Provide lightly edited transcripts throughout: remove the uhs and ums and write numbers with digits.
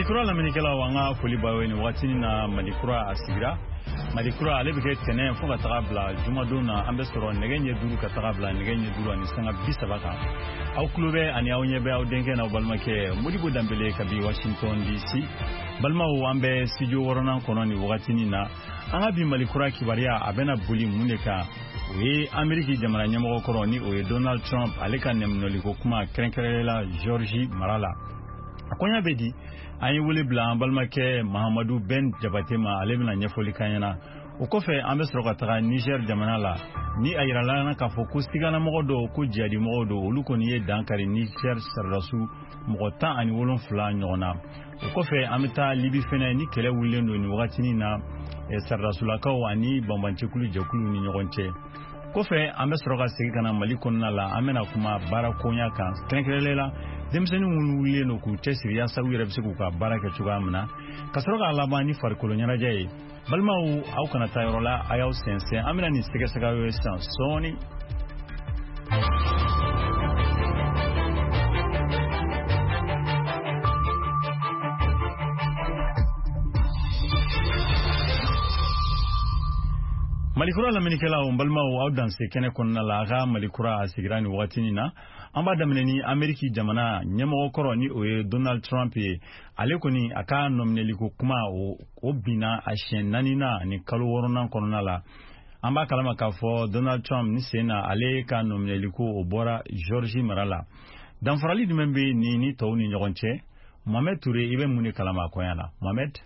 Malikura lamɛnnikɛlaw, an ka foli b'aw ye nin waati na. Malikura a sigira. Malikura ale bɛ kɛ tɛnɛn fo ka taga bila jumadon na. An bɛ sɔrɔ nɛgɛ ɲɛ 5 ka taga bila nɛgɛ ɲɛ 5:30 kan. Aw tulo bɛ ani aw ɲɛ bɛ aw denkɛ n'aw balimakɛ Modibo Danbele kabi Washington DC. Balimaw, an bɛ studio 6nan kɔnɔ nin wagatinin na. An ka bi Malikura kibaruya, a bɛna boli mun de kan? O ye Ameriki jamana ɲɛmɔgɔ kɔrɔ, ni o ye Donald Trump, ale ka nɛminɛliko kuma, kɛrɛnkɛrɛnnenya la Georgie mara la. A koɲa bɛ di? An ye wele bila an balimakɛ Mahamadu Ben Jabate ma, ale bɛna ɲɛfɔli k'an ɲɛna. O kɔfɛ, an bɛ sɔrɔ ka taga Niger jamana la, ni a yirala an na k'a fɔ ko siganamɔgɔ dɔw ko jihadimɔgɔw don, olu kɔni ye dan kari Niger sɔrɔdasiw mɔgɔ 17 ɲɔgɔn na. O kɔfɛ, an bɛ taa Libi fɛnɛ, ni kɛlɛ wulilen don nin wagatinin na sɔrɔdasulakaw ani banbancɛkulu jɛkuluw ni ɲɔgɔn cɛ. Kɔfɛ, an bɛ sɔrɔ ka segin ka na Mali kɔnɔna la. An bɛna kuma baara koɲa kan, kɛrɛnkɛrɛnnenya la denmisɛnnin minnu wulilen don k'u cɛsiri yaasa u yɛrɛ bɛ se k'u ka baara kɛ cogoya min na, ka sɔrɔ k'a laban ni farikolo ɲɛnajɛ ye. Balimaw, aw kana taa yɔrɔ la, a y'aw sɛnsɛn, an bɛna nin sɛgɛsɛgɛ aw ye sisan sɔɔni. Malikura lamɛnnikɛlaw, n balimaw, aw danse kɛnɛ kɔnɔna la. A ka Malikura a sigira nin wagatinin na. An b'a daminɛ ni Ameriki jamana ɲɛmɔgɔ kɔrɔ, ni o ye Donald Trump ye. Ale kɔni, a ka nɔminɛliko kuma, o binna a siɲɛ naaninan ni kalo 6nan kɔnɔna la. An b'a kalama k'a fɔ Donald Trump ni sen na, ale ka nɔminɛliko, o bɔra Georgie mara la. Danfarali jumɛn bɛ nin ni tɔw ni ɲɔgɔn cɛ? Mohamed Touré, i bɛ mun de kalama a koɲa la, Mohamed?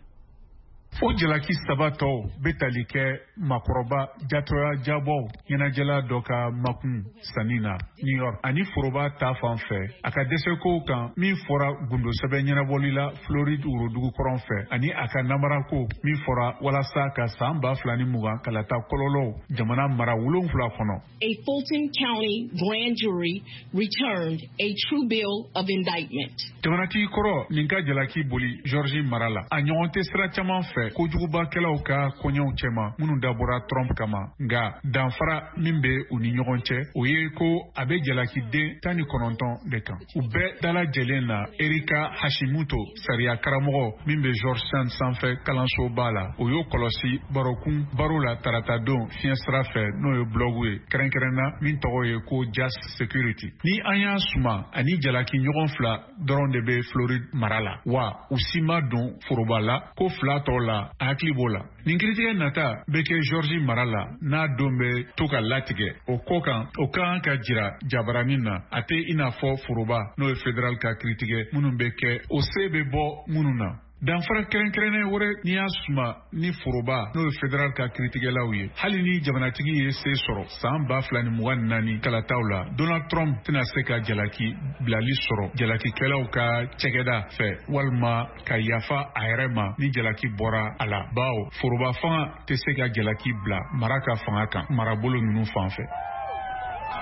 O jalaki saba tɔw bɛ tali kɛ makɔrɔba jatɔya jabɔw ɲɛnajɛla dɔ ka makun sanni na New York, ani foroba ta fan fɛ a ka dɛsɛkow kan min fɔra gundosɛbɛn ɲɛnabɔli la Floride worodugu kɔrɔn fɛ, ani a ka namarako min fɔra walasa ka san 2020 kalata kɔlɔlɔw jamana mara 7 kɔnɔ. A Fulton County grand jury returned a true bill of indictment. Jamanatigi kɔrɔ nin ka jalaki boli Georgie mara la, a ɲɔgɔn tɛ sira caman fɛ kojugubakɛlaw ka koɲɛw cɛma minnu dabɔra Trump kama. Nka danfara min bɛ u ni ɲɔgɔn cɛ, o ye ko a bɛ jalakiden 19 de kan u bɛɛ dalajɛlen na. Erika Hashimoto, sariya karamɔgɔ min bɛ Georgetown sanfɛ kalansoba la, o y'o kɔlɔsi barokun baro la taratadon fiɲɛ sira fɛ, n'o ye blɔgu ye kɛrɛnkɛrɛnna min tɔgɔ ye ko Just Security. Ni an y'a suma, ani jalaki ɲɔgɔn fila dɔrɔn de bɛ Floride mara la, wa u si ma don foroba la ko fila tɔw la, a hakili b'o la. Nin kiritigɛ nata bɛ kɛ Georgie mara la, n'a don bɛ to ka latigɛ o ko kan, o ka kan ka jira jabaranin na. A tɛ i n'a fɔ foroba, n'o ye fédéral ka kiritigɛ minnu bɛ kɛ, o se bɛ bɔ minnu na. Danfara kɛrɛnkɛrɛnnen wɛrɛ n'i y'a suma ni foroba, n'o ye fédéral ka kiritigɛlaw ye, hali ni jamanatigi ye se sɔrɔ san 2024 kalataw la, Donald Trump tɛna se ka jalaki bilali sɔrɔ jalakikɛlaw ka cɛgɛda fɛ walima ka yafa a yɛrɛ ma ni jalaki bɔra a la, bawo foroba fanga tɛ se ka jalaki bila mara ka fanga kan marabolo ninnu fan fɛ.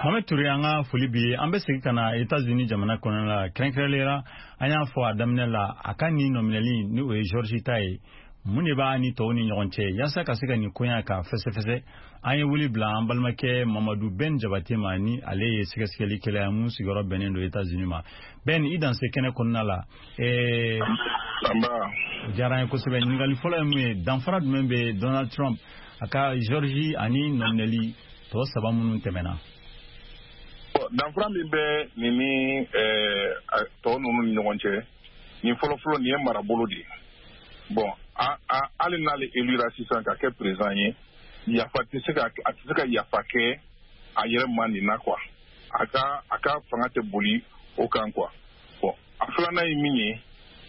Mohamed Touré, an ka foli bi ye. An bɛ segin ka na États-Unis jamana kɔnɔna la, kɛrɛnkɛrɛnnenya la an y'a fɔ a daminɛ la, a ka nin nɔminɛli, ni o ye Georgie ta ye, mun de b'a ni tɔw ni ɲɔgɔn cɛ? Yaasa ka se ka nin koɲa ka fɛsɛfɛsɛ, an ye wele bila an balimakɛ Mamadu Ben Jabate ma, ni ale ye sɛgɛsɛgɛlikɛla ye mun sigiyɔrɔ bɛnnen don États-Unis ma. Ben, i danse kɛnɛ kɔnɔna la. O diyara an ye kosɛbɛ. Ɲininkali fɔlɔ ye mun ye? Danfara jumɛn bɛ Donald Trump a ka Georgie ani nɔminɛli tɔ saba minnu tɛmɛna? Danfara min bɛ nin ni tɔ ninnu ni ɲɔgɔn cɛ, nin fɔlɔfɔlɔ, nin ye marabolo de ye. Bon, hali n'ale élira sisan ka kɛ président ye, yafa tɛ se ka, a tɛ se ka yafa kɛ a yɛrɛ ma nin na quoi. A ka fanga tɛ boli o kan quoi. Bon, a filanan ye min ye,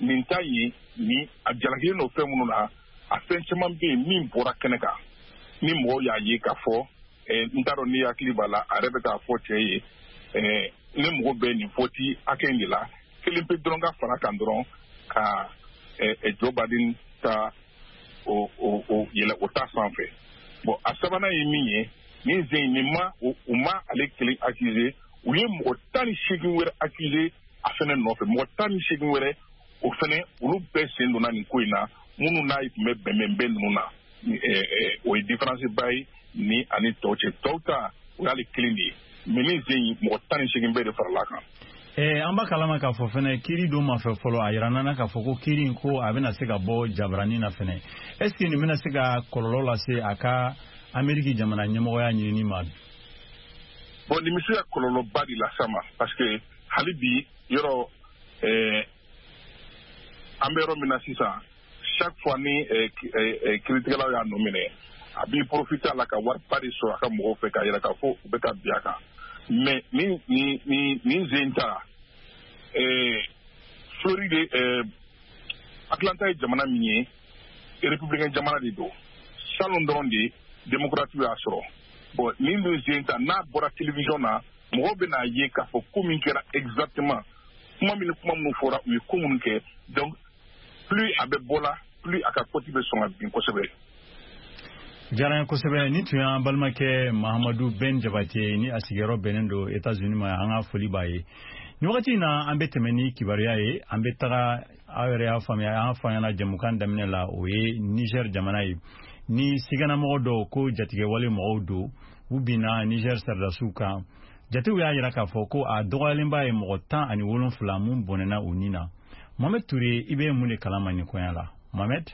nin ta ye ni a jalakilen don fɛn minnu na, a fɛn caman bɛ yen min bɔra kɛnɛ kan ni mɔgɔw y'a ye k'a fɔ. N t'a dɔn n'i hakili b'a la, a yɛrɛ bɛ k'a fɔ cɛ ye, ne mago bɛ nin vote hakɛ in de la, kelen pe dɔrɔn ka fara kan dɔrɔn ka Joe Biden ta o yɛlɛ o ta sanfɛ. Bon, a sabanan ye min ye, nin sen nin ma, u ma ale kelen accuser, u ye mɔgɔ 18 wɛrɛ accuser a fɛnɛ nɔfɛ, mɔgɔ 18 wɛrɛ, o fɛnɛ olu bɛɛ sen donna nin ko in na, minnu n'a tun bɛ bɛnbɛnbɛn ninnu na. O ye différence ba ye ni ani tɔw cɛ. Tɔw ta, o y'ale kelen de ye, mais nin sen in, mɔgɔ 18 bɛɛ de farala kan. An b'a kalama k'a fɔ fɛnɛ kiiri don ma fɛ fɔlɔ, a yira nana k'a fɔ ko kiiri in ko a bɛna se ka bɔ jabarani na fɛnɛ. Est ce que nin bɛna se ka kɔlɔlɔ lase a ka Ameriki jamana ɲɛmɔgɔya ɲinini ma? Bon, nin bɛ se ka kɔlɔlɔba de las'a ma, parce que hali bi yɔrɔ an bɛ yɔrɔ min na sisan, chaque fois ni kiiritigɛlaw y'a nɔ minɛ, a b'i profiter a la ka wariba de sɔrɔ a ka mɔgɔw fɛ k'a yira k'a fɔ u bɛ ka bin a kan. Mais ni zen ta, Floride, Atlanta ye jamana min ye, républicain jamana de don. Salon dɔrɔn de démocrate y'a sɔrɔ. Bon, nin dun zen ta, n'a bɔra télévision na, mɔgɔw bɛna ye k'a fɔ ko min kɛra exactement, kuma min ni kuma minnu fɔra, u ye ko minnu kɛ. Donc plus a bɛ bɔ la, plus a ka cote bɛ sɔn ka bin kosɛbɛ. Diyara n ye kosɛbɛ. Ni tun y'an balimakɛ Mahamadu Ben Jabate ni a sigiyɔrɔ bɛnnen don États-Unis ma, an ka foli b'a ye. Nin wagati in na, an bɛ tɛmɛ ni kibaruya ye. An bɛ taga, aw yɛrɛ y'a faamuya, an fa ɲɛna jɛmukan daminɛ la, o ye Niger jamana ye. Ni siganamɔgɔ dɔw ko jatigɛwale mɔgɔw don, u binna Niger sɔrɔdasiw kan. Jatew y'a yira k'a fɔ ko a dɔgɔyalenba ye mɔgɔ 17 mun bɔnɛna u ni na. Mohamed Touré, i bɛ mun de kalama nin koɲa la, Mohamed?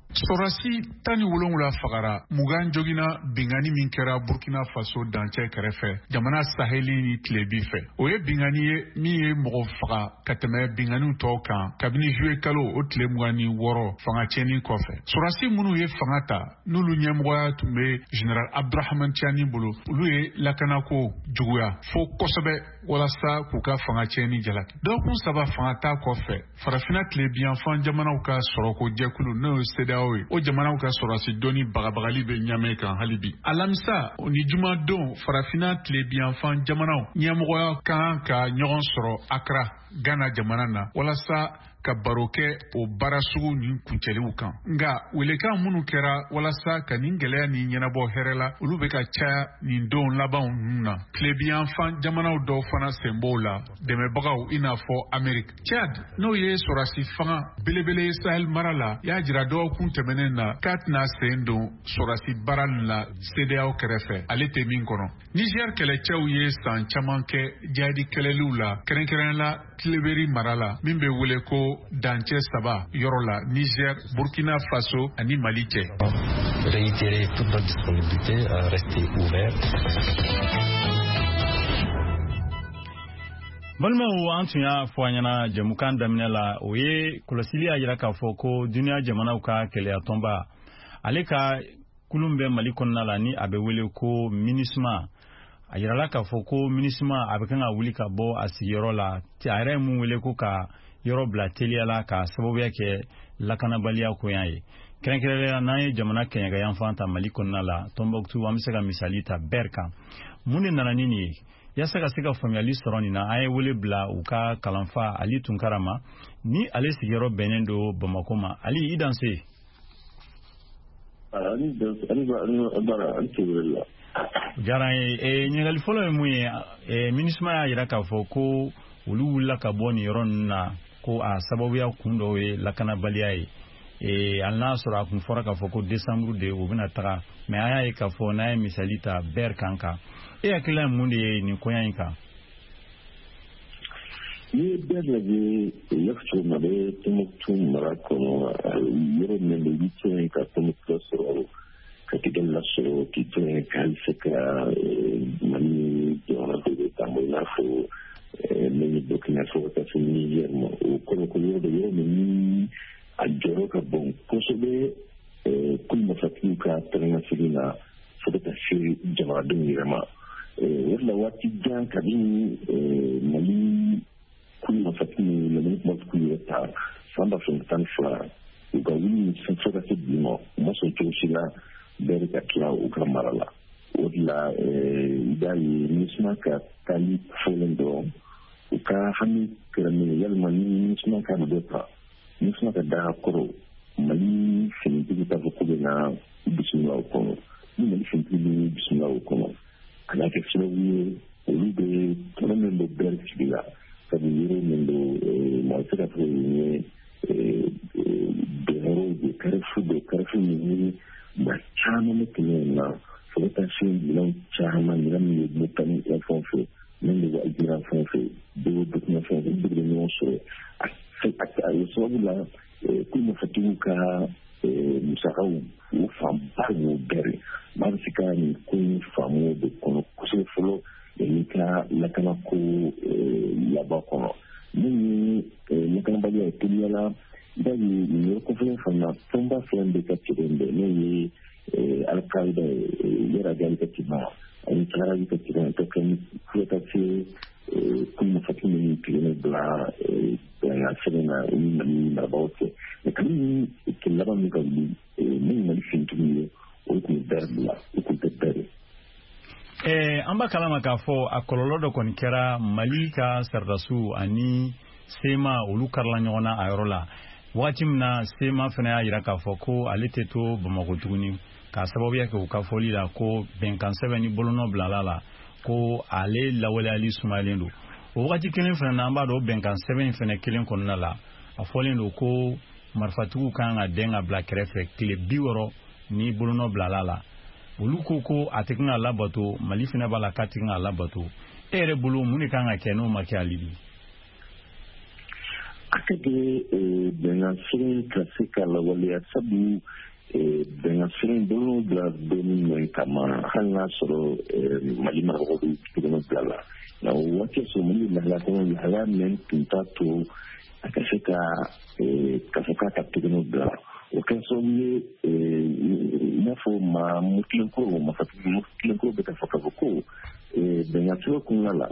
Sɔrɔdasi 17 fagara, 20 joginna binkanni min kɛra Burkina Faso dancɛ kɛrɛfɛ, jamana saheli ni tilebi fɛ. O ye binkanni ye min ye mɔgɔ faga ka tɛmɛ binkanniw tɔw kan kabini juillet kalo o tile 26 fanga tiɲɛni kɔfɛ. Sɔrɔdasi minnu ye fanga ta, n'olu ɲɛmɔgɔya tun bɛ Général Abdourahamane Tiani bolo, olu ye lakanako juguya fo kosɛbɛ walasa k'u ka fanga tiɲɛni jalaki. Dɔgɔkun 3 fanga ta kɔfɛ, Farafinna tilebiyanfan jamanaw ka sɔrɔko jɛkulu, n'o ye CEDEAO ye, o jamanaw ka sɔrɔdasi dɔnni bagabagali bɛ ɲamɛ kan hali bi. Alamisa ni jumadon, Farafinna tilebiyanfan jamanaw ɲɛmɔgɔya kan ka ɲɔgɔn sɔrɔ Accra, Ghana jamana na, walasa ka baro kɛ o baara sugu nin kuncɛliw kan. Nka welekan minnu kɛra walasa ka nin gɛlɛya nin ɲɛnabɔ hɛrɛ la, olu bɛ ka caya nin don labanw ninnu na. Tilebiyanfan jamanaw dɔw fana sen b'o la, dɛmɛbagaw i n'a fɔ Amerique. Tchad, n'o ye sɔrɔdasi fanga belebele ye Sahel mara la, y'a jira dɔgɔkun tɛmɛnen na k'a tɛna sen don sɔrɔdasi baara nin la CEDEAO kɛrɛfɛ, ale tɛ min kɔnɔ. Niger kɛlɛcɛw ye san caman kɛ jihadi kɛlɛliw la, kɛrɛnkɛrɛnnenya la Tileberi mara la, min bɛ wele ko dancɛ 3 yɔrɔ la, Niger, Burkina Faso ani Mali cɛ. Réitérer toute notre disponibilité à rester ouvert. Balimaw, an tun y'a fɔ an ɲɛna jɛmukan daminɛ la, o ye kɔlɔsili y'a jira k'a fɔ ko duniya jamanaw ka kɛlɛyatɔnba, ale ka kulun bɛ Mali kɔnɔna la, ni a bɛ wele ko MINUSMA. A yirala k'a fɔ ko MINUSMA a bɛ kan ka wuli ka bɔ a sigiyɔrɔ la, a yɛrɛ ye mun wele ko ka yɔrɔ bila teliya la ka sababuya kɛ lakanabaliya koɲa ye. Kɛrɛnkɛrɛnnenya n'an ye jamana kɛɲɛka yanfan ta Mali kɔnɔna la, Tombouctou, an bɛ se ka misali ta Ber kan. Mun de nana ni nin ye? Yaasa ka se ka faamuyali sɔrɔ nin na, an ye wele bila u ka kalanfa Ali Tunkara ma, ni ale sigiyɔrɔ bɛnnen don Bamako ma. Ali, i danse. Diyara n ye. Ɲininkali fɔlɔ ye mun ye? MINUSMA y'a jira k'a fɔ ko olu wulila ka bɔ nin yɔrɔ ninnu na, ko a sababuya kun dɔw ye lakanabaliya ye. Hali n'a sɔrɔ a kun fɔra k'a fɔ ko décembre de u bɛna taga, mais an y'a ye k'a fɔ n'an ye misali ta Ber kan kan, e hakilina ye mun de ye nin koɲa in kan? N'i ye Ber lajɛ, i y'a fɔ cogo min na, a bɛ Tombouctou mara kɔnɔ, yɔrɔ min don, i bɛ to yen ka Tombouctou sɔrɔ, ka Kidali lasɔrɔ, k'i to yen ka hali se ka Mali jamana dɔ bɛ taama, i n'a fɔ min ye Burkina fo ka taa se Niger ma. O kɔrɔ ko yɔrɔ dɔ, yɔrɔ min ni a jɔyɔrɔ ka bon kosɛbɛ kulu mafatigiw ka taa na fo ka taa se jamanadenw yɛrɛ ma. O de la waati jan kabini Mali kulu mafatigiw lamini kuma k'u yɛrɛ ta san 2012, u ka wuli fo ka se bi ma, u ma sɔn cogo si la bɛɛ ka tila u ka mara la. O de la i b'a ye MINUSMA ka taali fɔlen dɔrɔn, u ka hami kɛra min ye, yalima ni MINUSMA ka dɔ ta, MINUSMA ka da kɔrɔ, Mali finitigi t'a fɔ k'u bɛ na bisimila o kɔnɔ. Ni Mali finitigi bɛ bisimila o kɔnɔ, a n'a kɛ sababu ye olu bɛ tɔnɔ min bɛ Ber sigi la, sabu yɔrɔ min don, mɔgɔ tɛ se ka fɔ yen ye bɛnyɔrɔw de, carrefour de, carrefour min ni maa caman bɛ tɛmɛ yen na, fo ka taa se minɛnw caman, minɛn min bɛ Mauritanie yan fan fɛ, Min bɛ Algérie fɛn fɛ bɛɛ Burkina fɛn fɛ, olu bɛɛ bɛ ɲɔgɔn sɔrɔ. A ye sababu la ko marifatigiw ka musakaw o fanba y'o bɛɛ. Maa bɛ se ka nin ko in faamu de kɔnɔ kosɛbɛ fɔlɔ yanni ka lakanako laban kɔnɔ. Min ye lakanabaliya ye teliya la, i b'a ye nin yɔrɔ kɔfɛlen fana tɔnba fɛn bɛ ka cɛden bɛɛ, n'o ye Al-Qaïda ye, Yɛrɛ ka cɛba ani Saharawi ka cɛba ka kɛ fo ka se kulu marifatigi minnu tigɛlen bila bɛnkan sɛbɛn na o ni Mali marabagaw cɛ. Mɛ kabini kɛlɛ laban min ka wuli, min Mali finitigiw ye, o tun ye bɛɛ bila, o tun tɛ bɛɛ. An b'a kalama k'a fɔ a kɔlɔlɔ dɔ kɔni kɛra Mali ka sɔrɔdasiw ani CMA, olu karila ɲɔgɔn na a yɔrɔ la. Wagati min na CMA fana y'a jira k'a fɔ ko ale tɛ to Bamakɔ tuguni, k'a sababuya kɛ u ka fɔli la ko bɛnkan sɛbɛn ni bolonɔ bilala la, ko ale lawaleyali sumayalen don. O wagati kelen fana na, an b'a dɔn bɛnkan sɛbɛn in fana kelen kɔnɔna la, a fɔlen don ko marifatigiw kan ka dɛn ka bila kɛrɛfɛ tile 60 ni bolonɔ bilala la. Olu ko ko a tɛ kan ka labato, Mali fana b'a la k'a tɛ kan ka labato. E yɛrɛ bolo, mun de kan ka kɛ n'o ma kɛ hali bi? A ka di bɛnkan sɛbɛn ka se ka lawaleya, sabu bɛnkan sɛbɛn bolonɔ bila don min kama, hali n'a sɔrɔ Mali marabagaw bɛ bolonɔ bila la, nka o waati sɔrɔ Mali lahalaya kɔnɔ, lahalaya min tun t'a to a ka se ka k'a fɔ k'a ka tɛgɛnɔ bila. O kɛra sababu ye, i n'a fɔ maa mutilenkoro, marifatigi mutilenkoro bɛ ka fɔ k'a fɔ ko bɛnkan sɛbɛn kɔnɔna la,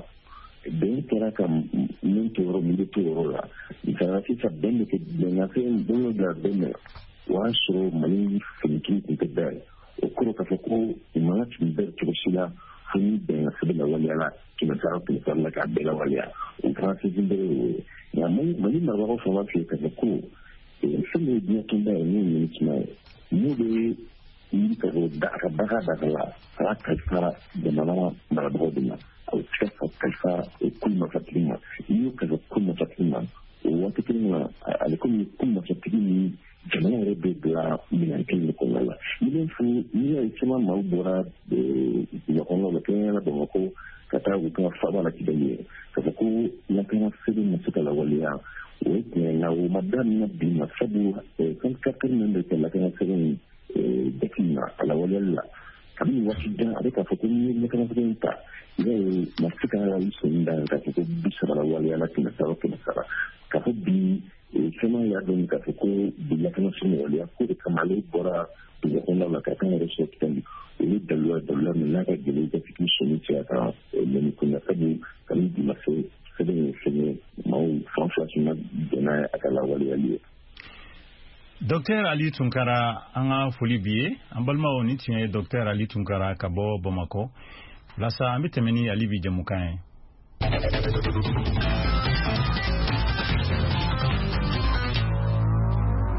bɛn kɛra ka min to yɔrɔ min bɛ to yɔrɔ la. Misaliya sisan, bɛn bɛ kɛ bɛnkan sɛbɛn bolonɔ bila don min, o y'a sɔrɔ Mali finitigiw tun tɛ bɛɛ ye. O kɔrɔ k'a fɔ ko u man ka tun bɛɛ cogo si la fo ni bɛnkan sɛbɛn lawaleyala 100 100 la, k'a bɛɛ lawaleya. O fana sinsin bere y'o ye. Nka Mali marabagaw fana b'a f'i ye k'a fɔ ko fɛn min ye diɲɛ tɔnba ye, n'o ye MINUSMA ye, n'o bɛ wuli ka bɔ a ka baga daga la, a b'a kalifa jamana marabagaw de ma. A bɛ se ka kalifa kulu marifatigi ma. N'i y'o kalifa kulu marifatigi ma, o waati kelen na, ale komi kulu marifatigi ni jamana yɛrɛ bɛ bila minɛn kelen de kɔnɔna la. Ni bɛ fo n'i y'a ye caman maaw bɔra duguba kɔnɔnaw la, kɛrɛnkɛrɛnnenya la Bamakɔ, ka taa u ka faaba la Kidali ye, k'a fɔ ko lakana sɛbɛn ma se ka lawaleya, o ye tiɲɛ ye. Nka o ma daminɛ bi ma, sabu fɛn min bɛ kɛ lakana sɛbɛn jate min na a lawaleyali la kabini waati jan, a bɛ k'a fɔ ko n'i ye lakana sɛbɛn ta, i b'a ye ma se ka sɔnni da k'a fɔ ko 30 lawaleyala 100 100. K'a fɔ bi caman y'a dɔn k'a fɔ ko bi lakana sɛbɛn waleya ko de kama ale bɔra dugu kɔnɔna la ka kan yɛrɛ sɔrɔ Kidali. O ye daluya min n'a ka gɛlɛn i ka se k'i sɔnni cɛ a kan mɛni kunna, sabu kabini bi ma se sɛbɛn ye fɛn ye, maaw fan fila si ma bɛn n'a ye a ka lawaleyali ye. Docteur Ali Tunkara, an ka foli b'i ye. An balimaw, ni tun ye Docteur Ali Tunkara ka bɔ Bamakɔ. Walasa an bɛ tɛmɛ ni Ali bi jɛmukan ye.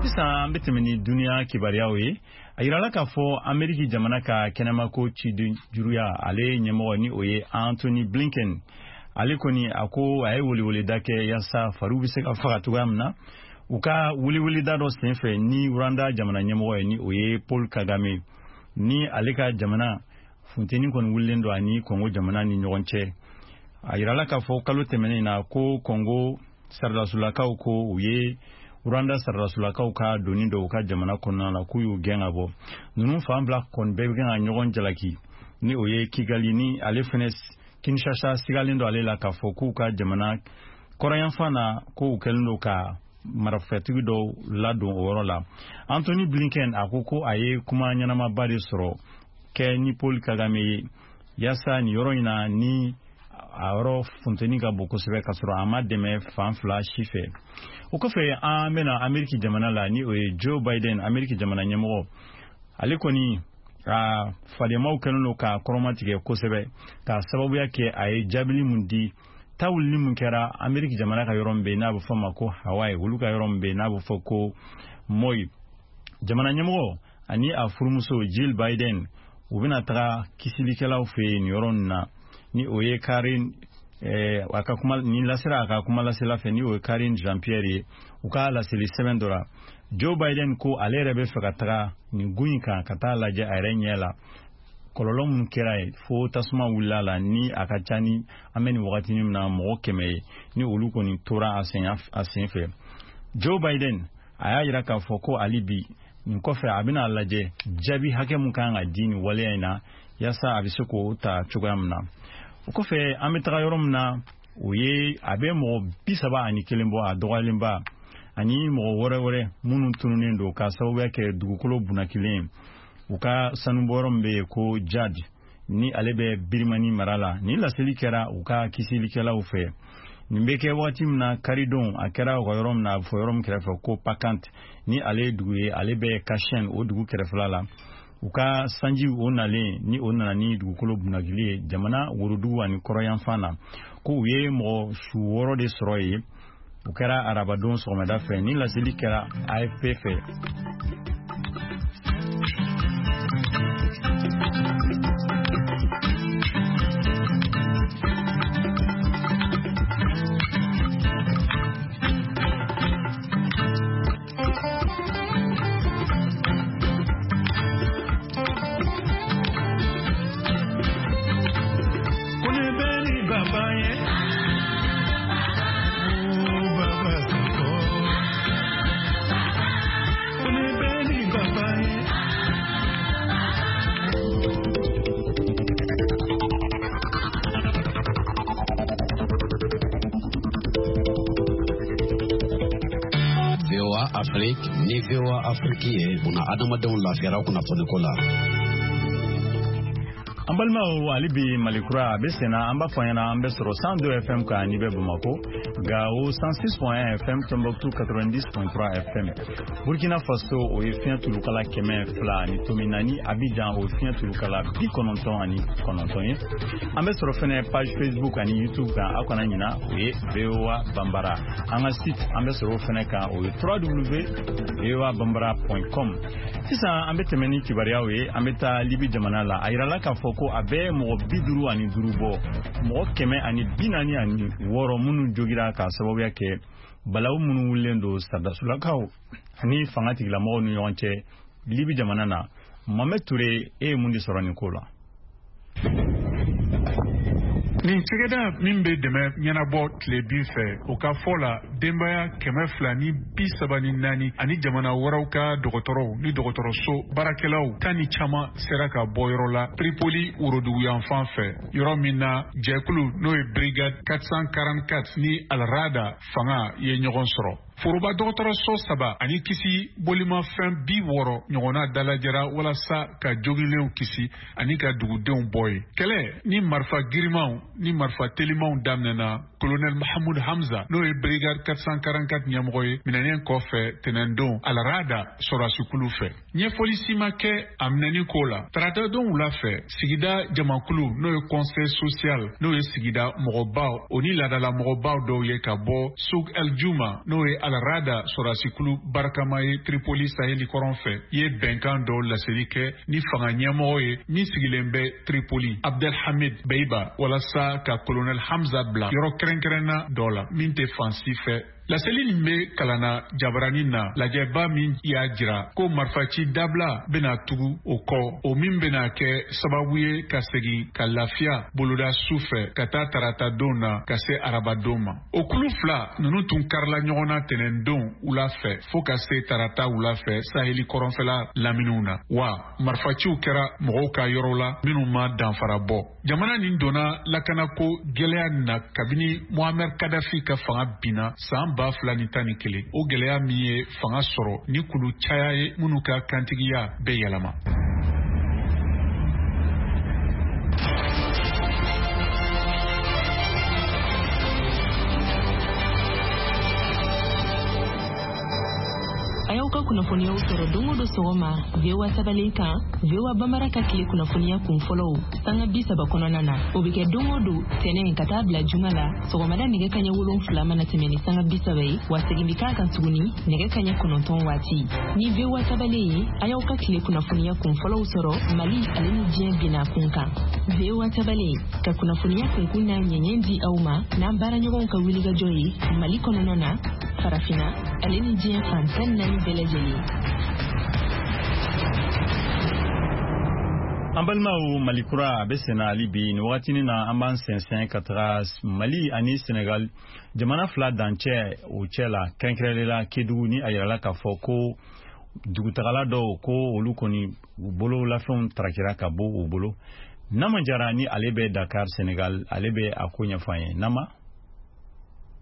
Sisan an bɛ tɛmɛ ni duniya kibaruyaw ye. A yirala k'a fɔ Ameriki jamana ka kɛnɛmako cidenjuruya ale ɲɛmɔgɔ, ni o ye Anthony Blinken, ale kɔni a ko a ye weleweleda kɛ yaasa fariw bɛ se ka faga cogoya min na u ka weleweleda dɔ senfɛ ni Rwanda jamana ɲɛmɔgɔ ye, ni o ye Paul Kagame, ni ale ka jamana funteni kɔni wulilen don ani Congo jamana ni ɲɔgɔn cɛ. A yirala k'a fɔ kalo tɛmɛnen na ko Congo saradasulakaw ko u ye Rwanda saradasulakaw ka doni dɔw u ka jamana kɔnɔna la, k'u y'u gɛn ka bɔ. Ninnu fan bila kɔni bɛɛ bɛ kan ka ɲɔgɔn jalaki, ni o ye Kigali, ni ale fɛnɛ Kinshasa sigalen don ale la k'a fɔ k'u ka jamana kɔrɔyanfan na, k'u kɛlen don ka marifatigi dɔw ladon o yɔrɔ la. Anthony Blinken a ko ko a ye kuma ɲɛnamaba de sɔrɔ kɛ ni Paul Kagame ye yaasa nin yɔrɔ in na, ni a yɔrɔ funteni ka bon kosɛbɛ, k'a sɔrɔ a ma dɛmɛ fan fila si fɛ. O kɔfɛ, an bɛna Ameriki jamana la, ni o ye Joe Biden, Ameriki jamana ɲɛmɔgɔ. Ale kɔni a fadenmaw kɛlen don k'a kɔrɔmatigɛ kosɛbɛ, k'a sababuya kɛ a ye jaabili mun di tawulili mun kɛra Ameriki jamana ka yɔrɔ min bɛ yen n'a bɛ fɔ ma ko Hawaii, olu ka yɔrɔ min bɛ yen n'a bɛ fɔ ko Maui. Jamana ɲɛmɔgɔ ani a furumuso Jill Biden, u bɛna taga kisilikɛlaw fɛ yen nin yɔrɔ nin na, ni o ye Karine, a ka kuma nin lasera a ka kuma lasela fɛ, ni o ye Karine Jean-Pierre ye. U ka laseli sɛbɛn dɔ la, Joe Biden ko ale yɛrɛ bɛ fɛ ka taga nin gun in kan ka taa lajɛ a yɛrɛ ɲɛ la. Kɔlɔlɔ minnu kɛra ye fo tasuma wulila la, ni a ka ca ni an bɛ nin wagati min na mɔgɔ 100 ye, ni olu kɔni tora a sen fɛ. Joe Biden a y'a yira k'a fɔ ko hali bi nin kɔfɛ a bɛna lajɛ jaabi hakɛ mun kan ka di nin waleya in na, yaasa a bɛ se k'o ta cogoya min na. O kɔfɛ, an bɛ taga yɔrɔ min na, o ye a bɛ mɔgɔ 31 bɔ, a dɔgɔyalenba, ani mɔgɔ wɛrɛ wɛrɛ minnu tununnen don k'a sababuya kɛ dugukolo bunnakilen u ka sanubɔyɔrɔ min bɛ yen ko Jad, ni ale bɛ Birimani mara la. Ni laseli kɛra u ka kisilikɛlaw fɛ. Nin bɛ kɛ waati min na, karidon a kɛra u ka yɔrɔ min na, a bɛ fɔ yɔrɔ min kɛrɛfɛ ko Pakant, ni ale ye dugu ye, ale bɛ Kashen o dugu kɛrɛfɛla la. U ka sanji o nalen, ni o nana ni dugukolo bunnakili ye jamana worodugu ani kɔrɔyanfan na, ko u ye mɔgɔ su 6 de sɔrɔ yen. O kɛra arabadon sɔgɔmada fɛ. Ni laseli kɛra AFP fɛ. Afrique ni VOA Afrique ye buna adamadenw lafiyara kunnafoniko la. An balimaw, hali bi Malikura a bɛ senna. An b'a fɔ ɲɛna, an bɛ sɔrɔ 102 FM kan n'i bɛ Bamakɔ, Gao 106.1 FM, Tombouctou 90.3 FM, Burkina Faso o ye fiɲɛ tulukala 204, Abidjan o ye fiɲɛ tulukala 99 ye. An bɛ sɔrɔ fɛnɛ page Facebook ani YouTube kan, aw kana ɲina, o ye VOA Bambara. An ka site, an bɛ sɔrɔ o fɛnɛ kan, o ye www.voabambara.com. Sisan an bɛ tɛmɛ ni kibaruyaw ye. An bɛ taa Libi jamana la. A yirala k'a fɔ ko a bɛ mɔgɔ 55 bɔ, mɔgɔ 146 minnu jogira k'a sababuya kɛ balawu minnu wulilen don saradasulakaw ani fanga tigilamɔgɔw ni ɲɔgɔn cɛ Libi jamana na. Mohamed Touré, e ye mun de sɔrɔ nin ko la? Nin cɛgɛda min bɛ dɛmɛ ɲɛnabɔ tilebin fɛ, o ka fɔ la, denbaya 234 ani jamana wɛrɛw ka dɔgɔtɔrɔw ni dɔgɔtɔrɔso baarakɛlaw tan ni caman sera ka bɔ yɔrɔ la Tripoli woroduguyanfan fɛ, yɔrɔ min na jɛkulu n'o ye Brigade 444 ni Alrada fanga ye ɲɔgɔn sɔrɔ. Foroba dɔgɔtɔrɔso 3 ani kisi bolimafɛn 60 ɲɔgɔnna dalajɛra walasa ka jogilenw kisi ani ka dugudenw bɔ yen. Kɛlɛ ni marifa girimanw ni marifa telimanw daminɛna Colonel Mahmoud Hamza, n'o ye Brigade 444 ɲɛmɔgɔ ye, minɛnen kɔfɛ tɛnɛndon Alrada sɔrɔdasikulu fɛ. Ɲɛfɔli si ma kɛ a minɛni ko la. Taratadon wula fɛ, sigida jamakulu n'o ye conseil social, n'o ye sigida mɔgɔbaw o ni laadala mɔgɔbaw dɔw ye ka bɔ Souk El Juma, n'o ye Alrada sɔrɔdasikulu barikama ye Tripoli saheli kɔrɔn fɛ, ye bɛnkan dɔw laseli kɛ ni fanga ɲɛmɔgɔ ye min sigilen bɛ Tripoli, Abdelhamid Beiba, walasa ka Colonel Hamza bila yɔrɔ kɛrɛnkɛrɛnna dɔ la min tɛ fan si fɛ. Laseli nin bɛ kalanna jabarani na lajɛba min y'a jira ko marifaci dabila bɛna tugu o kɔ, o min bɛna kɛ sababu ye ka segin ka lafiya boloda su fɛ ka taa tarata don na ka se arabadon ma. O kulu fila ninnu tun karila ɲɔgɔn na tɛnɛndon wula fɛ fo ka se tarata wula fɛ saheli kɔrɔnfɛla laminiw na, wa marifaciw kɛra mɔgɔw ka yɔrɔ la minnu ma danfara bɔ. Jamana nin donna lakanako gɛlɛya na kabini Muammar Kadhafi ka fanga binna san 2011, o gɛlɛya min ye fanga sɔrɔ ni kulu caya ye minnu ka kantigiya bɛ yɛlɛma. A y'aw ka kunnafoniyaw sɔrɔ don o don sɔgɔma VOA tabalen kan, VOA Bambara ka tile kunnafoniya kun fɔlɔw sanga 30 kɔnɔna na. O bɛ kɛ don o don tɛnɛn ka taa bila juma la sɔgɔmada nɛgɛ kaɲɛ 7 mana tɛmɛ ni sanga 30 ye, wa segin bɛ k'a kan tuguni nɛgɛ kaɲɛ 9 waati. Ni VOA tabalen ye, a y'aw ka tile kunnafoniya kun fɔlɔw sɔrɔ Mali ale ni diɲɛ binna kun kan. VOA tabalen ka kunnafoniya kunkun n'a ɲɛɲɛ di aw ma n'an baaraɲɔgɔnw ka wulikajɔ ye Mali kɔnɔna na, Farafinna ale ni diɲɛ fan 14 bɛɛ lajɛlen. An balimaw, Mali kura a bɛ senna hali bi. Nin wagatinin na, an b'an sɛnsɛn ka taga Mali ani Senegal jamana fila dancɛ o cɛ la, kɛrɛnkɛrɛnnenya la Kedugu, ni a yirala k'a fɔ ko dugutagala dɔw ko olu kɔni u bololafɛnw tarakira ka bɔ u bolo. Nama Jara ni ale bɛ Dakar, Senegal, ale bɛ a ko ɲɛfɔ an ye. Nama.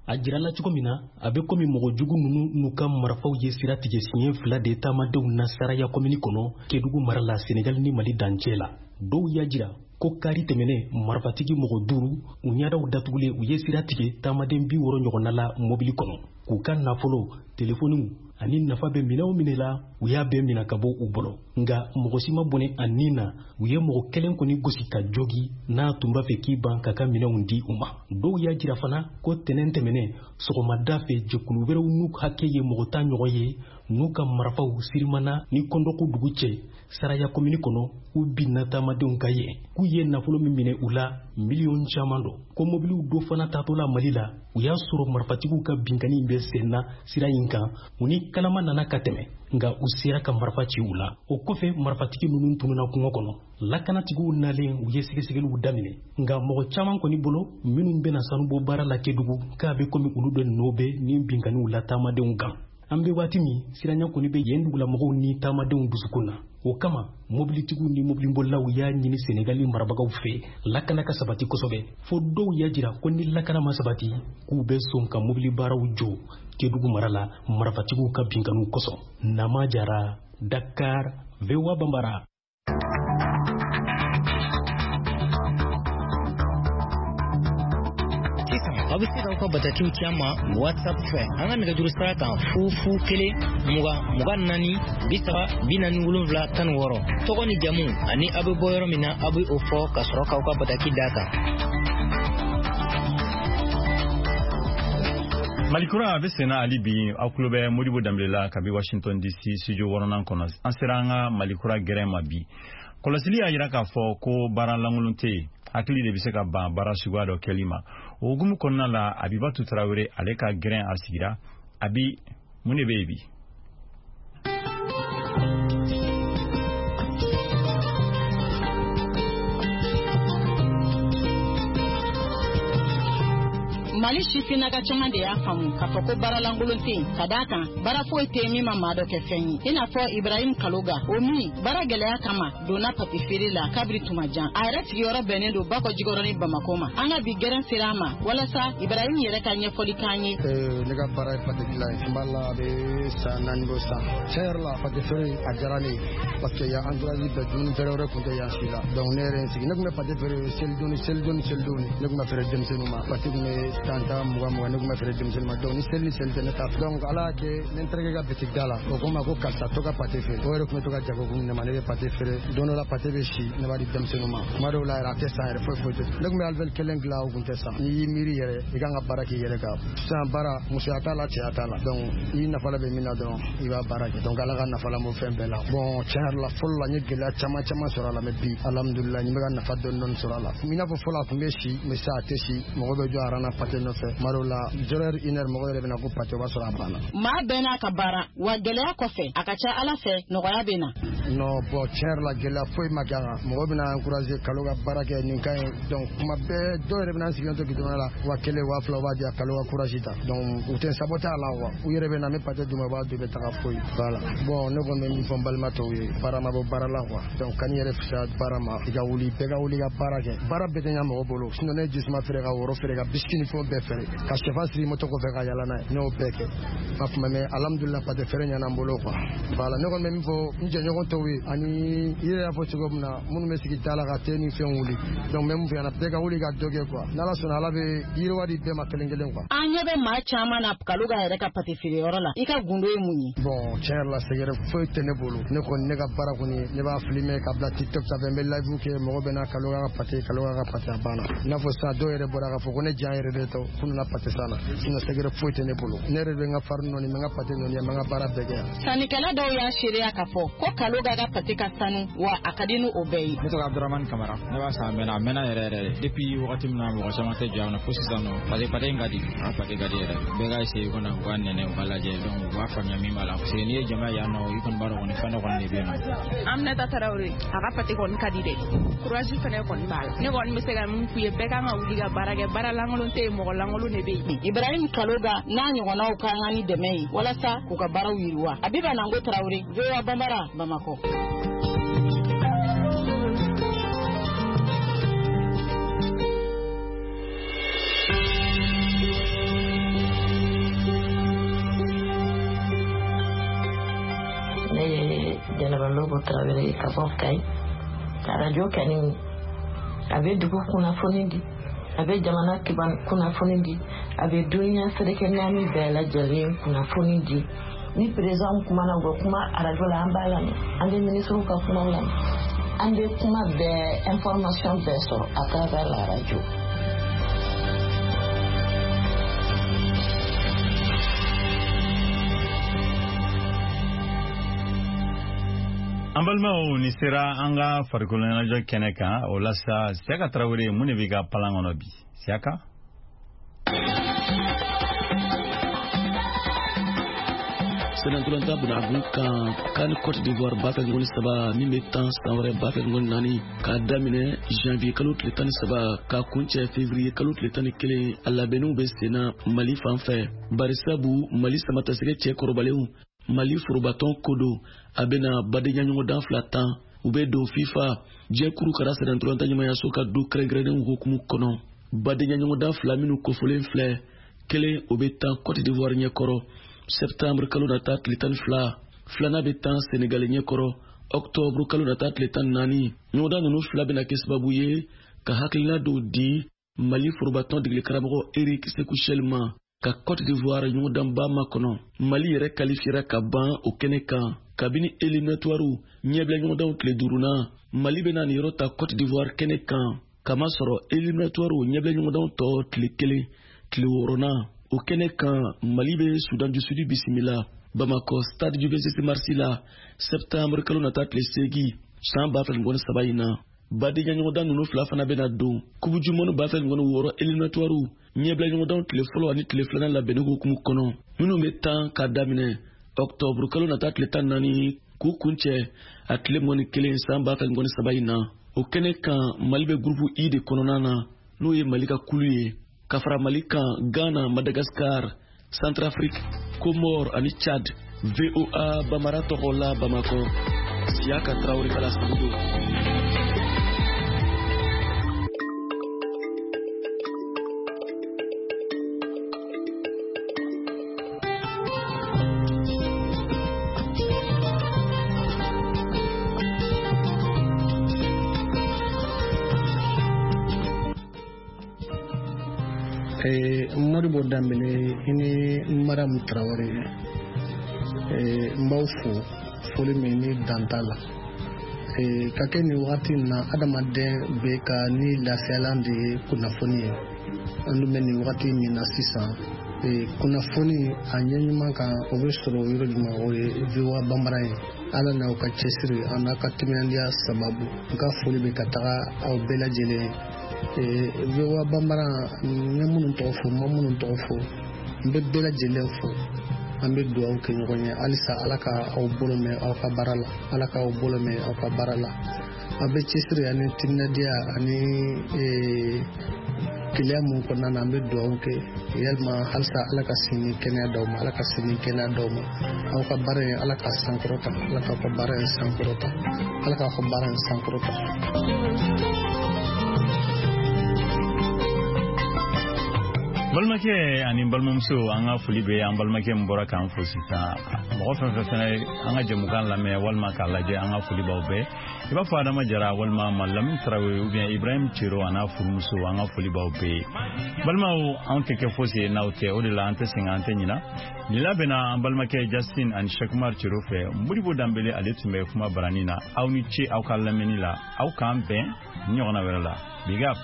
A jirala cogo min na, a bɛ komi mɔgɔ jugu ninnu n'u ka marifaw ye sira tigɛ siɲɛ fila de taamadenw na Saraya komini kɔnɔ, Kedugu mara la, Senegal ni Mali dancɛ la. Dɔw y'a jira ko kari tɛmɛnen, marifatigi mɔgɔ duuru, u ɲɛdaw datugulen, u ye sira tigɛ taamaden 60 ɲɔgɔnna la mobili kɔnɔ, k'u ka nafolo, telefɔniw ani nafa bɛ minɛn o minɛ la, u y'a bɛɛ minɛ ka bɔ u bolo. Nka mɔgɔ si ma bɔnɛ a nin na. U ye mɔgɔ kelen kɔni gosi ka jogi n'a tun b'a fɛ k'i ban k'a ka minɛnw di u ma. Dɔw y'a jira fana ko tɛnɛn tɛmɛnen sɔgɔmada fɛ, jɛkulu wɛrɛw n'u hakɛ ye mɔgɔ 10 ɲɔgɔn ye, n'u ka marifaw Sirimana ni Kɔndɔku dugu cɛ, Saraya komini kɔnɔ, u binna taamadenw ka yen, k'u ye nafolo min minɛ u la, miliyɔn caman don. Ko mobiliw dɔ fana taatɔ la Mali la, u y'a sɔrɔ marifatigiw ka binkanni bɛ sen na sira in kan. U ni kalama nana ka tɛmɛ, nka u sera ka marifa ci u la. O kɔfɛ, marifatigi ninnu tununa kungo kɔnɔ. Lakanatigiw nalen, u ye sɛgɛsɛgɛliw daminɛ. Nka mɔgɔ caman kɔni bolo, minnu bɛna sanubɔ baara la Kedugu, k'a bɛ komi olu de nɔ bɛ nin binkanniw la taamadenw kan. An bɛ waati min, siranya kɔni bɛ yen dugulamɔgɔw ni taamadenw dusukun na. O kama, mobilitigiw ni mobilibolilaw y'a ɲini Senegali marabagaw fɛ, lakana ka sabati kosɛbɛ, fo dɔw y'a jira ko ni lakana ma sabati, k'u bɛ sɔn ka mobili baaraw jɔ Kedugu mara la, marifatigiw ka binkanniw kosɔn. Nama Jara, Dakar, VOA Bambara. Sisan aw bɛ se k'aw ka batakiw ci an ma WhatsApp fɛ, an ka nɛgɛjuru sira kan: 0 0 1 20 24 30 47 16. Tɔgɔ ni jamu ani aw bɛ bɔ yɔrɔ min na, aw bɛ o fɔ ka sɔrɔ k'aw ka bataki d'a kan. Malikura a bɛ senna hali bi. Aw tulo bɛ Modibo Danbele la kabi Washington DC studio wɔɔrɔnan kɔnɔ. An sera an ka Malikura gɛrɛn ma bi. Kɔlɔsili y'a jira k'a fɔ ko baara lankolon tɛ yen, hakili de bɛ se ka ban baara suguya dɔ kɛli ma. O hukumu kɔnɔna la, Abibatu Tarawele, ale ka gɛrɛn a sigira. Abi, mun de bɛ yen bi? Mali sifinnaka caman de y'a faamu k'a fɔ ko baaralankolon tɛ yen, ka d'a kan baara foyi tɛ yen min ma maa dɔ kɛ fɛn ye, i n'a fɔ Ibrahim Kaloga, o min baara gɛlɛya kama donna pate feere la kabiri tuma jan. A yɛrɛ sigiyɔrɔ bɛnnen don Bakɔ Jikɔrɔni Bamako ma. An ka bi gɛrɛn sera a ma walasa Ibrahim yɛrɛ ka ɲɛfɔli k'an ye. Ne ka baara ye pate dilan ye. N b'a la, a bɛ san 4 bɔ sisan. Tiɲɛ yɛrɛ la, pate feere a diyara ne ye, parce que yan entourage bɛɛ, dumuni feere wɛrɛ tun tɛ yan si la. Donc ne yɛrɛ ye n sigi, ne tun bɛ pate feere selidon ni selidon ni selidon. Ne tun bɛ feere denmisɛnninw ma. Pate tun bɛ 10 10, 20 20, ne tun bɛ feere denmisɛnninw ma. Donc ni seli ni seli tɛ, ne t'a. Donc Ala y'a kɛ, ne n terikɛ ka bitigi da la, o ko n ma ko karisa, to ka pate feere. O yɛrɛ tun bɛ to ka jagokun ne ma. Ne bɛ pate feere, don dɔ la pate bɛ si, ne b'a di denmisɛnninw ma. Tuma dɔw la yɛrɛ, a tɛ san yɛrɛ, foyi foyi tɛ. Ne tun bɛ alvéole kelen dilan, o tun tɛ san. N'i y'i miiri yɛrɛ, i kan ka baara k'i yɛrɛ kan. Sisan baara, musoya t'a la, cɛya t'a la. Donc i nafa la bɛ min na dɔrɔn, i b'a baara kɛ. Donc Ala ka nafa la bɔ fɛn bɛɛ la. Bon, tiɲɛ yɛrɛ la, fɔlɔ la n ye gɛlɛya caman caman sɔrɔ a la, mais bi, alhamdulilah, n bɛ ka nafa dɔɔni dɔɔni sɔrɔ a la. I n'a fɔ fɔlɔ a tun bɛ si, mais sisan a tɛ si. Mɔgɔ bɛ jɔ aran na pate nɔfɛ. Tuma dɔw la, 0 heure, 1 heure, mɔgɔ yɛrɛ bɛ na ko pate, o b'a sɔrɔ a banna. Maa bɛɛ n'a ka baara wa. Gɛlɛya kɔfɛ, a ka ca Ala fɛ, nɔgɔya bɛ na. Non, bon, tiɲɛ yɛrɛ la, gɛlɛya foyi ma kɛ a kan. Mɔgɔ bɛna encourager kalo ka baara kɛ, nin ka ɲi. Donc kuma bɛɛ, dɔw yɛrɛ bɛna n sigilen to goudron la, 1000, 2000, u b'a di yan, kalo ka courage ta. Donc u tɛ saboter a la quoi. U yɛrɛ bɛ na, n bɛ pate d'u ma, u b'a dun, u bɛ taga, foyi. Voilà. Bon, ne kɔni bɛ min fɔ n balima tɔw ye, baara ma bɔ baara la quoi. Donc kan'i yɛrɛ fisaya baara ma. I ka wuli, bɛɛ ka wuli ka baara kɛ. Baara bɛɛ tɛ ɲa mɔgɔ bolo. Sinon ne ye jisuma feere, ka woro feere, ka biscuit ni fɛnw bɛɛ feere, ka sɛfan siri moto kɔfɛ ka yala n'a ye, ne y'o bɛɛ kɛ a tuma. Mais alhamdulillah, pate feere ɲɛna n bolo quoi. Voilà. Ne kɔni bɛ min fɔ n jɛɲɔgɔn tɔw ye, ani i yɛrɛ y'a fɔ cogo min na, minnu bɛ sigi da la ka te ni fɛn wuli, donc n bɛ mun fɛ yan, bɛɛ ka wuli ka dɔ kɛ quoi. N'Ala sɔnna, Ala bɛ yiriwa di bɛɛ ma kelen kelen quoi. An ɲɛ bɛ maa caman na Kaloga yɛrɛ ka pate feereyɔrɔ la. I ka gundo ye mun ye? Bon, tiɲɛ yɛrɛ la, sɛgɛrɛ foyi tɛ ne bolo. Ne kɔni, ne ka baara kɔni, ne b'a filmer ka bila TikTok sanfɛ, n bɛ live kɛ, mɔgɔ bɛ na Kaloga ka pate, Kaloga ka pate, a banna. I n'a fɔ sisan, dɔw yɛrɛ bɔra k'a fɔ ko ne jan yɛrɛ de ta. tɛ k'u nana pate san na, sinon secret foyi tɛ ne bolo. Ne yɛrɛ bɛ n ka farini nɔɔni, n bɛ n ka pate nɔɔni, n bɛ n ka baara bɛɛ kɛ yan. Sannikɛla dɔw y'a seereya k'a fɔ ko Kaloga ka pate ka sanu, wa a ka di ni o bɛɛ ye. Ne tɔgɔ Abdramani Kamara, ne b'a san a mɛnna yɛrɛ yɛrɛ de. Depuis wagati min na mɔgɔ caman tɛ jɔ yan nɔ fo sisan nɔ, parce que pate in ka di, a pate ka di yɛrɛ. Bɛɛ ka essayer kɔnɔ, u ka nɛnɛ, u ka lajɛ, donc u b'a faamuya min b'a la. Parce que n'i ye jama yan nɔ, i kɔni b'a dɔn kɔni fɛn dɔ kɔni de bɛ yen nɔ. Aminata Tarawele, a ka pate kɔni ka di dɛ. Courage fɛnɛ kɔni b'a la. Ne kɔni bɛ se ka min f'u ye, bɛɛ kan ka wuli ka baara kɛ, baara lankolon tɛ yen, mɔgɔ lankolon de bɛ yen. Ibrahim Kaloga n'a ɲɔgɔnnaw ka kan ni dɛmɛ ye walasa k'u ka baaraw yiriwa. Abiba Nango Tarawele, VOA Bambara, Bamakɔ. Ne ye Jɛnɛba Lobo Tarawele ye ka bɔ Kayi. Arajo kani a bɛ dugu kunnafoni di, a bɛ jamana kunnafoni di, a bɛ duniya seleke naani bɛɛ lajɛlen kunnafoni di. Ni président kumana, u bɛ kuma arajo la, an b'a lamɛn, an bɛ ministres ka kumaw lamɛn, an bɛ kuma bɛɛ, information bɛɛ sɔrɔ à travers la radio. An balimaw, ni sera an ka farikolo ɲɛnajɛ kɛnɛ kan. O la sa, Siyaka Tarawele, mun de b'i ka palan kɔnɔ bi, Siyaka? Sɛnɛntolanta bunagun kan, CAN Cote d'Ivoire 2023 min bɛ tan san wɛrɛ 2024, k'a daminɛ janvier kalo tile 13 k'a kuncɛ février kalo tile 11, a labɛnniw bɛ senna Mali fan fɛ. Barisabu Mali samatasɛgɛ cɛ kɔrɔbalenw, Mali forobatɔn ko don, a bɛna badenya ɲɔgɔndan fila tan. U bɛ don FIFA jɛkuru kara sɛnɛntolanta ɲɛmayaso ka du kɛrɛnkɛrɛnnenw hukumu kɔnɔ. Badenya ɲɔgɔndan fila minnu kofɔlen filɛ, kelen o bɛ tan Cote d'Ivoire ɲɛkɔrɔ septembre kalo nata tile 12, filanan bɛ tan Senegal ɲɛkɔrɔ octobre kalo nata tile 14. Ɲɔgɔndan ninnu fila bɛna kɛ sababu ye ka hakilina dɔw di Mali forobatɔn degeli karamɔgɔ Eric Sekou Chelle ma ka Cote d'Ivoire ɲɔgɔndanba makɔnɔ. Mali yɛrɛ kalifiyera ka ban o kɛnɛ kan kabini éliminatoires ɲɛbila ɲɔgɔndanw tile duurunan. Mali bɛna nin yɔrɔ ta Cote d'Ivoire kɛnɛ kan, kamasɔrɔ éliminatoires ɲɛbila ɲɔgɔndanw tɔ tile kelen, tile wɔɔrɔnan. O kɛnɛ kan, Mali bɛ Soudan du Sud bisimila Bamakɔ stade du 26 mars la septembre kalo nata tile 8 san 2023 in na. Badenya ɲɔgɔndan ninnu fila fana bɛna don Coupe du monde 2026 éliminatoires ɲɛbila ɲɔgɔndanw tile fɔlɔ ani tile filanan labɛnni hukumu kɔnɔ, minnu bɛ tan k'a daminɛ octobre kalo nata tile 14 k'u kuncɛ a tile 21 san 2023 in na. O kɛnɛ kan, Mali bɛ groupe I de kɔnɔna na, n'o ye Mali ka kulu ye, ka fara Mali kan Ghana, Madagascar, Centrafrique, Comores ani Tchad. VOA Bambara tɔgɔ la Bamakɔ, Siyaka Tarawele ka laseli don. Modibo Dambele i ni Mariam Traoré, n b'aw fo foli min ni dan t'a la. Ka kɛ nin wagati in na, adamaden bɛ ka ni lafiyalan de ye kunnafoni ye. An dun bɛ nin wagati min na sisan, kunnafoni a ɲɛ ɲuman kan, o bɛ sɔrɔ yɔrɔ jumɛn? O ye VOA Bambara ye. Ala n'aw ka cɛsiri a n'a ka timinandiya sababu, n ka foli bɛ ka taga aw bɛɛ lajɛlen ye. VOA Bambara, n ye minnu tɔgɔ fɔ, n ma minnu tɔgɔ fɔ, n bɛ bɛɛ lajɛlen fo. An bɛ dugawu kɛ ɲɔgɔn ye halisa, Ala ka aw bolo mɛn aw ka baara la, Ala k'aw bolo mɛn aw ka baara la. Aw bɛ cɛsiri ani timinandiya ani keleya mun kɔnɔna na, an bɛ dugawu kɛ yalima halisa Ala ka sini kɛnɛya d'aw ma, Ala ka sini kɛnɛya d'aw ma. Aw ka baara in, Ala ka sankɔrɔta, Ala k'aw ka baara in sankɔrɔta, Ala k'aw ka baara in sankɔrɔta. Balimakɛ ani balimamuso, an ka foli bɛ an balimakɛ min bɔra k'an fo sisan. Mɔgɔ fɛn fɛn fɛnɛ an ka jɛmukan lamɛn walima k'a lajɛ, an ka foli b'aw bɛɛ. I b'a fɔ Adama Jara walima Malamin Tarawele ou bien Ibrahim Cero a n'a furumuso, an ka foli b'aw bɛɛ ye. Balimaw, anw tɛ kɛ fosi ye n'aw tɛ, o de la an tɛ sɛgɛn, an tɛ ɲina. Nin labɛnna an balimakɛ Justin ani Cheikh Cero fɛ. Modibo Danbele, ale tun bɛ kuma barani na. Aw ni ce aw ka lamɛnni la, aw k'an bɛn ɲɔgɔnna wɛrɛ la. Big up.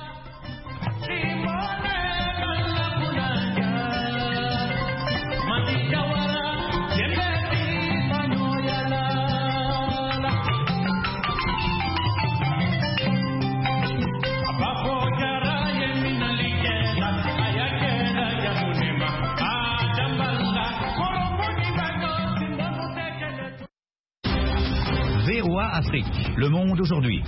Afrique, Le Monde aujourd'hui.